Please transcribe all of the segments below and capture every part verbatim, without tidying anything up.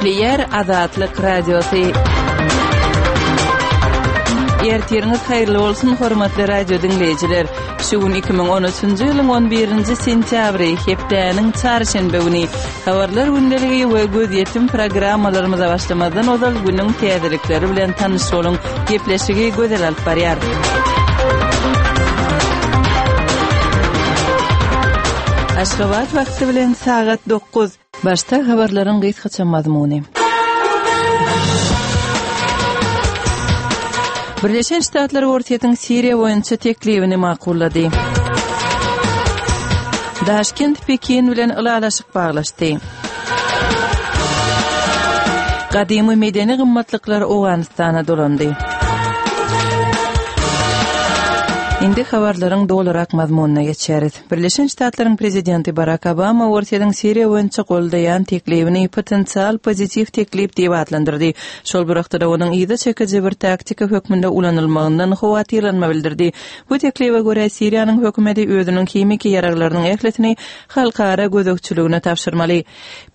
Gepleýär Azatlyk Radiosy. Ertiriňiz haýyrly bolsun, hormatly radio diňleýjiler. Şu gün iki müň on üçünji ýylyň on birinji sentýabry, hepdäniň çarşenbe güni. Habarlar gündeligi we gözýetim programmalarymyza başlamazdan ozal günüň täzelikleri bilen tanyş boluň. Gepleşigi Gözel alyp barýar. Aşgabat wagty bilen sagat dokuz. Başda habarlaryň gysgaça mazmuny. Birleşen Ştatlar Orsýetiň Siriýa boýunça teklibini makullady. Daşkent Pekin bilen ylalaşyk baglaşdy. Gadymy medeni gymmatlyklar Owganystana dolandy. Indi habarlaryň dolurak mazmunyna geçeris. Birleşen Ştatlaryň prezidenti Barak Obama Orsýetiň Siriýa boýunça goldaýan teklibini potensial pozitiw teklip diýip atlandyrdy. Şol bir wagtda-da onuň yza çekiji bir taktika hökmünde ulanylmagyndan howatyrlanma bildirdi. Bu teklibe görä Siriýanyň hökümeti özüniň himiki ýaraglarynyň ählisini halkara gözegçiligine tabşyrmaly.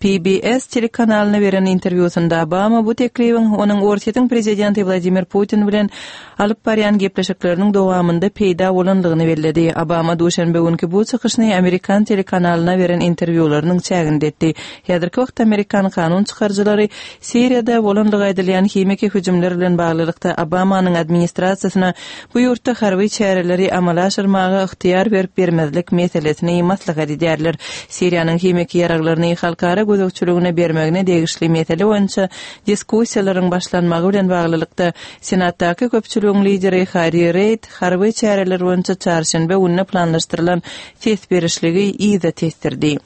P B S telekanalyna beren interwýusynda Obama bu teklibiň onuň Orsýetiň prezidenti Wladimir Putin bilen alyp barýan gepleşikleriniň dowamynda peýda bolandygyny belledi. Obama duşenbe günki bu çykyşyny Amerikan telekanalyna beren interwýularynyň çäginde etdi. Häzirki wagtda Amerikan kanun çykaryjylary Siriýada bolandygy aýdylýan himiki hüjümler bilen baglylykda Obamanyň administrasiýasyna bu ýurtda harby çäreleri amala aşyrmaga ygtyýar berip bermezlik meselesini maslahat edýärler. Siriýanyň himiki ýaraglaryny halkara gözegçiligine bermegine degişli mesele boýunça diskussiýalaryň başlanmagy bilen baglylykda Senatdaky köpçüligiň lideri Harry Reid harby çäreler boýunça çarşenbe gününe planlaşdyrylan ses berişligi yza tesdirdi.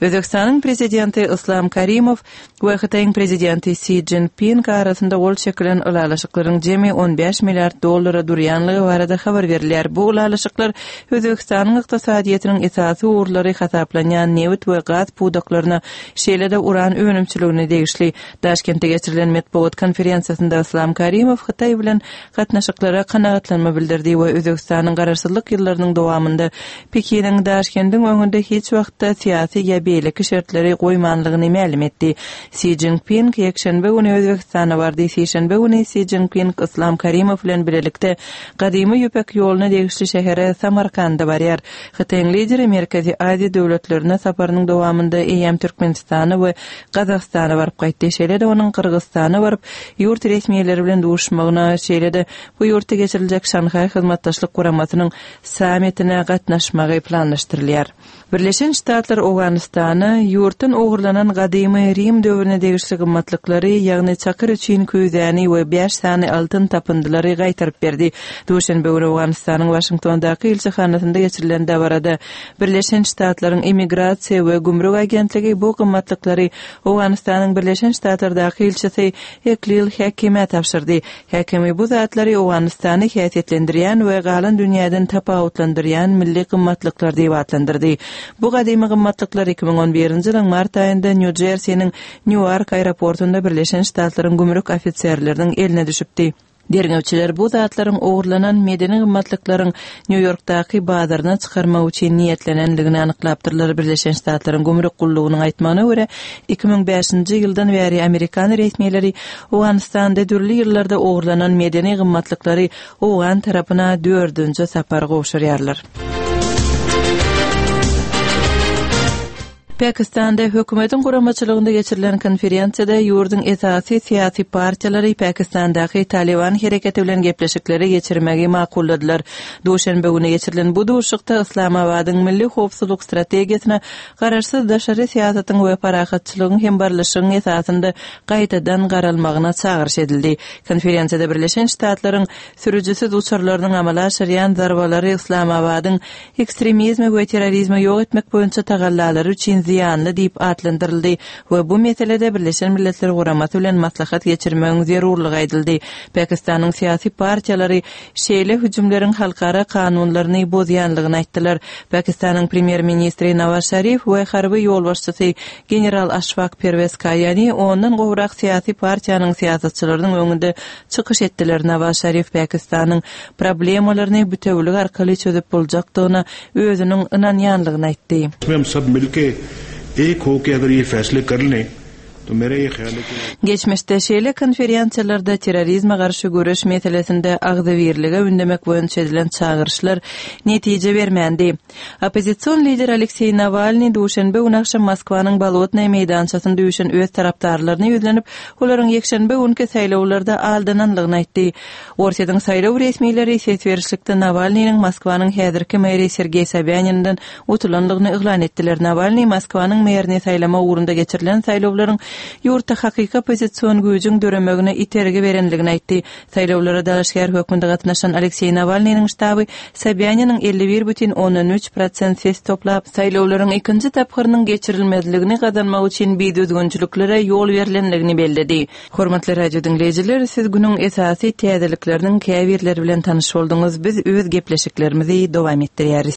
Özbekistanyň prezidenti Islam Karimow we Hytaýyň prezidenti Xi Jinping arasynda gol çekilen ylalaşyklaryň jemi on bäş milliard dollara durýanlygy barada habar berilýär. Bu ylalaşyklar Özbekistanyň ykdysadyýetiniň esasy ugurlary hasaplanýan nebit we gaz pudaklaryna, şeýle-de uran önümçiligine degişli. Daşkentde geçirilen metbugat konferensiýasynda Islam Karimow Hytaý bilen gatnaşyklara kanagatlanma bildirdi we Özbekistanyň garaşsyzlyk ýyllarynyň dowamynda Pekiniň Daşkendiň öňünde hiç wagtda syýasy ýa beýleki şertleri goýmanlygyny mälim etdi. Xi Jinping ýekşenbe güni Özbekistana bardy. Sişenbe güni Xi Jinping Islam Karimow bilen birlikde gadymy ýüpek ýoluna degişli şähere Samarkanda barýar. Hytaýyň lideri Merkezi Aziýa döwletlerine saparynyň dowamynda eýem Türkmenistana we Gazagystana baryp gaýtdy. Şeýle-de onuň Gyrgyzystana baryp, ýurt resmiýetleri bilen duşmagyna, şeýle-de bu ýurtda geçiriljek Şanhaý Hyzmatdaşlyk Guramasynyň sammitine gatnaşmagy planlaşdyrylýar. Birleşen Ştatlar Owganystana ýurtdan ogurlanan gadymy Rim döwrüne degişli gymmatlyklary, ýagny çakyr üçin küýzäni we bäş sany altyn tapyndylary gaýtaryp berdi. Duşenbe güni Owganystanyň Waşingtondaky ilçihanasynda geçirilen dabarada Birleşen Ştatlaryň immigrasiýa we gümrük agentligi bu gymmatlyklary Owganystanyň Birleşen Ştatlardaky ilçisi Eklil Häkime tabşyrdy. Häkimi bu zatlary Owganystany häsiýetlendirýän we galan dünýäden tapawutlandyrýan milli gymmatlyklar diýip atlandyrdy. Bu gadymy gymmatlyklar iki müň on birinji ýylyň mart aýynda Nýu Jersiniň Nýuark aeroportunda Birleşen Ştatlaryň gümrük ofiserleriniň eline düşüpdi. Derňewçiler bu zatlaryň ogurlanan medeni gymmatlyklaryň Nýu-Ýorkdaky bazaryna çykarmak üçin niýetlenendigini anyklapdyrlar. Birleşen Ştatlaryň gümrük gullugynyň aýtmagyna görä iki müň bäşinji ýyldan bäri Amerikan resmiýetleri Owganystanda dürli ýyllarda ogurlanan medeni gymmatlyklary Owgan tarapyna dördünji sapar gowşurýarlar. Pakistanda hökümetiň guramaçylygynda geçirilen konferensiýada ýurduň esasy syýasy partiýalary Pakistandaky Taliban hereketi bilen gepleşikleri geçirmegi makulladylar. Duşenbe güni geçirilen bu duşuşykda Islamabadyň milli howpsuzlyk strategiýasyna garaşsyz daşary syýasatyň we parahatçylygyň hem barlyşygyň esasynda gaýtadan garalmagyna çagyryş edildi. Konferensiýada Birleşen Ştatlaryň sürüjisiz uçarlarynyň amala aşyrýan zarbalary Islamabadyň ekstremizmi we terrorizmi ýok etmek boýunça tagallalary üçin zyýanly diýip atlandyryldy we bu meselede Birleşen Milletler Guramasy bilen maslahat geçirmegiň zerurlygy aýdyldy. Pakistanyň syýasy partiýalary şeýle hüjümleriň halkara kanunlaryny bozýanlygyny aýtdylar. Pakistanyň premýer-ministri Nawaz Şarif we harby ýolbaşçysy general Aşfak Perwez Kaýani ondan gowrak syýasy partiýanyň syýasatçylarynyň öňünde çykyş etdiler. Nawaz Şarif Pakistanyň problemalaryny bütewlik arkaly çözüp boljakdygyna özüniň ynanýanlygyny aýtdy. Hem sab milke ek ho ke agar ye faisle kar lein तो मेरा ये ख्याल है कि Geçmişde şeýle konferensiýalarda terrorizme garşy göreş meselesinde agzybirlige ündemek boýunça edilen çagyryşlar netije bermändi. Oppozision lider Alekseý Nawalnyý duşenbe güni agşam Moskwanyň Bolotnaýa meýdançasynda üýşen öz tarapdarlaryna ýüzlenip, olaryň ýekşenbe günki saýlawlarda aldananlygyny aýtdy. Orsýetiň saýlaw resmileri ses berişlikde Nawalnynyň Moskwanyň häzirki meri Sergeý Sobýaninden utulanlygyny yglan etdiler. Nawalnyý Moskwanyň merini saýlama ugrunda geçirilen saýlawlaryň ýurtda hakyky oppozision güýjüň döremegine itergi berenligini aýtdy. Saýlawlara dalaşgär hökmünde gatnaşan Alekseý Nawalnynyň ştaby Sobýaniniň elli bir bütin ondan üç prosent ses toplap, saýlawlaryň ikinji tapgyrynyň geçirilmezligini gazanmak üçin bidüzgünçiliklere ýol berlenligini belledi. Hormatly radio diňleýjiler, siz günüň esasy täzelikleriniň käbirleri bilen tanyş bolduňyz. Biz öz gepleşiklerimizi dowam etdirýäris.